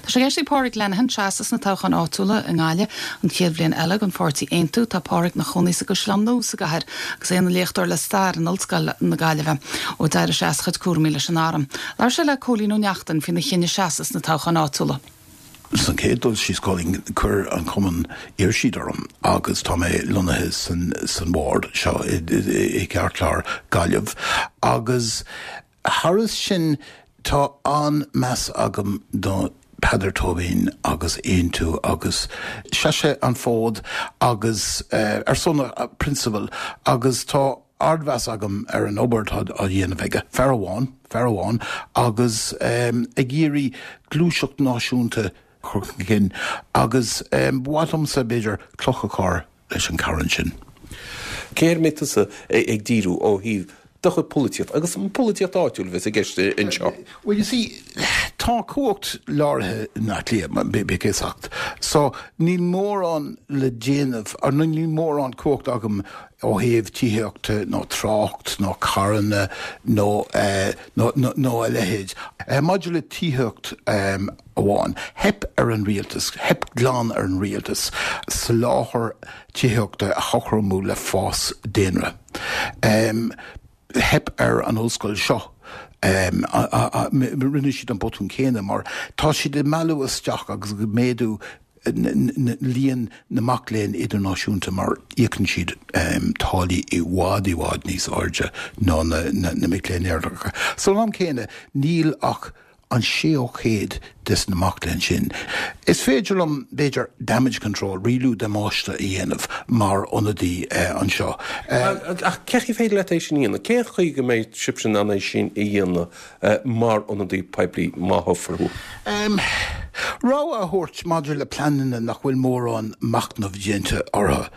Tá sé i gceist ag Pádraig Lenihan seasamh sna toghcháin áitiúla i nGaillimh an chéad bhliain eile don pháirtí Aontú. Tá Pádraig ina chónaí sa gCaisleán Nua sa gcathair agus é ina léachtóir le stair in Ollscoil na Gaillimhe ó d'éirigh sé as a chuid cúraimí leis an arm. Labhair sé le Cóilín Ó Neachtain faoina chinneadh seasamh sna toghcháin áitiúla. San chéad dul síos, Cóilín, chuir an cumann, iarr siad orm agus tá mé lonnaithe san san ward seo i i gceartlár Gaillimh agus thairis sin tá an-meas agam do Peadar Tóibín agus Aontú agus sheas sé an fód agus ar son a prionsabail agus tá ardmheas agam ar an obair atá á dhéanamh aige, fear amháin, fear amháin, agus ag iarraidh gluaiseacht náisiúnta a chur chun cinn agus ba mhaith liomsa, b'fhéidir, cloch a chur leis an charn sin. Cé air a mbeidh tusa ag díriú ó thaobh do chuid polaitíochta agus an pholaitíocht áitiúil a bheas i gceist anseo? Well, you see, tá cumhacht láraithe i mBleá Cliath, bíodh a fhios agat, so níl mórán le déanamh, nó níl mórán cumhacht agam ó thaobh tithíochta nó trácht nó carranna nó nó a leithéid. Maidir le tithíocht amháin, theip ar an rialtas, theip glan ar an rialtas soláthar tithíochta a chothromú le fás daonra. Theip ar an ollscoil seo. Rinne siad an botún céanna mar tá siad ag mealladh isteach agus ag méadú líon na mac léinn idirnáisiúnta mar íocann siad táillí i bhfad i bhfad níos airde ná na mic léinn Éireannacha. San am céanna níl ach an séú chéad des na mac léinn sin. Is féidir liom, b'fhéidir, damage control, rialú damáiste a dhéanamh mar ionadaí anseo. Ach cén chaoi féidir leat é sin a dhéanamh? Cén chaoi go mbeidh sibhse in ann é sin a dhéanamh mar ionadaí poiblí má thoghfar thú? Rabhadh a thabhairt maidir le pleananna nach bhfuil mórán machnaimh déanta orthu.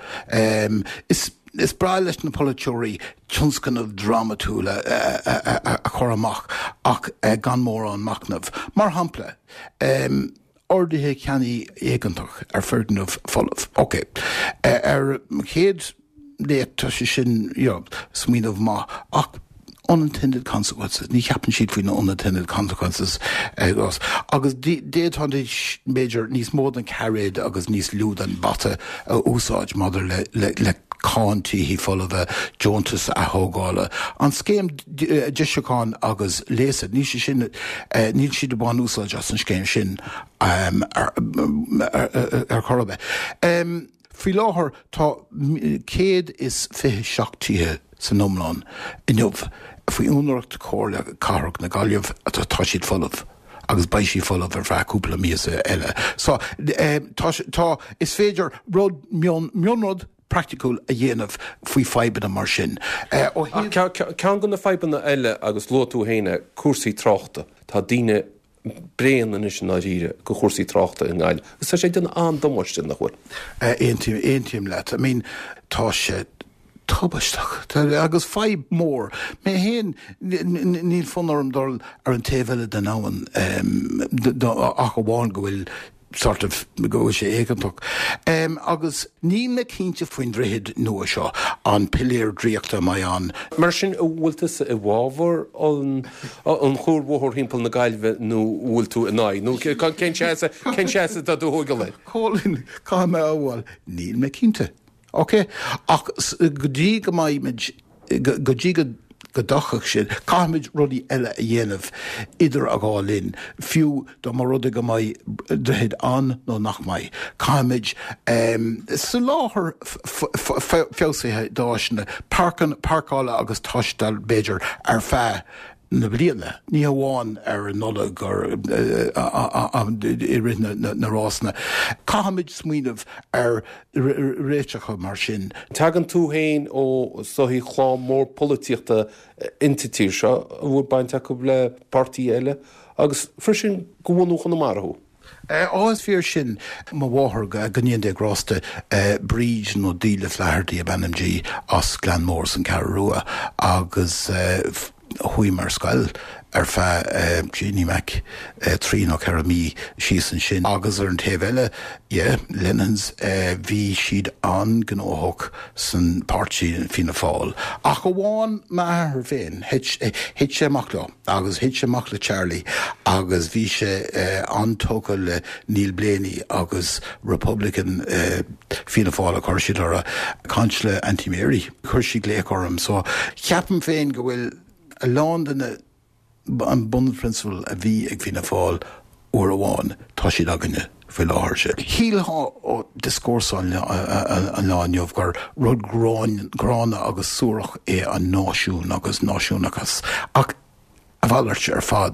Is breá leis na polaiteoirí tionscnaimh drámatúla a chur amach ach gan mórán machnaimh. Mar shampla, orduithe ceannaigh éigeantach ar foirgneamh folamh. Ok, ar an chéad léamh tá sé sin, you know, smaoineamh maith ach unintended consequences, ní cheapann siad faoi na unintended consequences agus d'fhéadfaidís b'fhéidir níos mó den chairéad agus níos lú den bhata a úsáid maidir le le cáin tithe folmha, deontais atógála, an scéim deisiúcháin agus léasa, níl sé sin, níl siad ag baint úsáid as an scéim sin ar chor ar bith. Faoi láthair tá 127 tithe san iomlán inniu faoi úinéireacht Chomhairle Cathrach na Gaillimhe, tá siad folamh agus beidh siad folamh ar feadh cúpla míosa eile. So, tá, tá, is féidir rud mion, mionrud praiticiúil a dhéanamh faoi fadhbanna mar sin. Ó thaobh. Ceann de na fadhbanna eile, agus luaigh tú féin é, cúrsaí tráchta. Tá daoine bréan anois i ndáiríre de chúrsaí tráchta i nGaillimh agus tá sé ag déanamh an-damáiste, nach bhfuil? Aontaím, aontaím leat. I mean, tá sé tubaisteach agus fadhb mór. Mé féin, níl fonn orm dul ar an taobh eile den abhainn ach amháin go bhfuil sort of, go bhfuil sé éigeantach. Agus níl mé cinnte faoin droichead nua seo, an piléar draíochta a mbeidh ann. Mar sin, an bhfuil tusa i bhfabhar an chuarbhóthair thimpeall na Gaillimhe nó an bhfuil tú in aghaidh? Nó cén seasamh, cén seasamh atá tú a thógáil air? Cóilín, caithfidh mé a admháil, níl mé cinnte. Ok, ach go dtí go mbeimid, go dtí go dtiocfaidh sin, caithfimid rudaí eile a dhéanamh idir an dhá linn, fiú dá mba rud é go mbeidh droichead ann nó nach mbeidh. Caithfimid soláthar feabhsaithe d'áiseanna páirceála agus taistil, b'fhéidir, ar feadh na bliana, ní hamháin ar an Nollaig i rith na rásanna. Caithfimid smaoineamh ar réiteacha mar sin. Tagann tú féin ó is dóichí clann mór polaitíochta insa tír seo a bhfuil baint acu le páirtithe eile agus freisin de bhunú Chonamara thú. Á, is fíor sin. Mo mháthair, go ndéana Dia grásta, Bríd nó Delia Flaherty ab ainm di, as Gleann Mór san Cheathrú Rua agus chuaigh mé ar scoil. Ar feadh, Jeannie Mac, 3 nó 4 mí síos ansin. Agus ar an taobh eile, yeah, Lenahans, bhí siad an-ghnóthach san páirtí Fianna Fáil. Ach amháin m'athair féin, thit, thit sé amach leo agus thit sé amach le Charlie agus bhí sé an-tógtha le Neil Blaney agus Republican Fianna Fáil a chuir siad orthu. Caint le Auntie Mary, chuir sí glaoch orm. So ceapaim féin go bhfuil a lán de na an bunphrionsabal a bhí ag Fianna Fáil uair amháin, tá siad againne faoi láthair. Shílfeá ó dioscúrsa an lá inniu gur rud gránna agus suarach é an náisiún agus náisiúnachas, ach a mhalairt ar fad.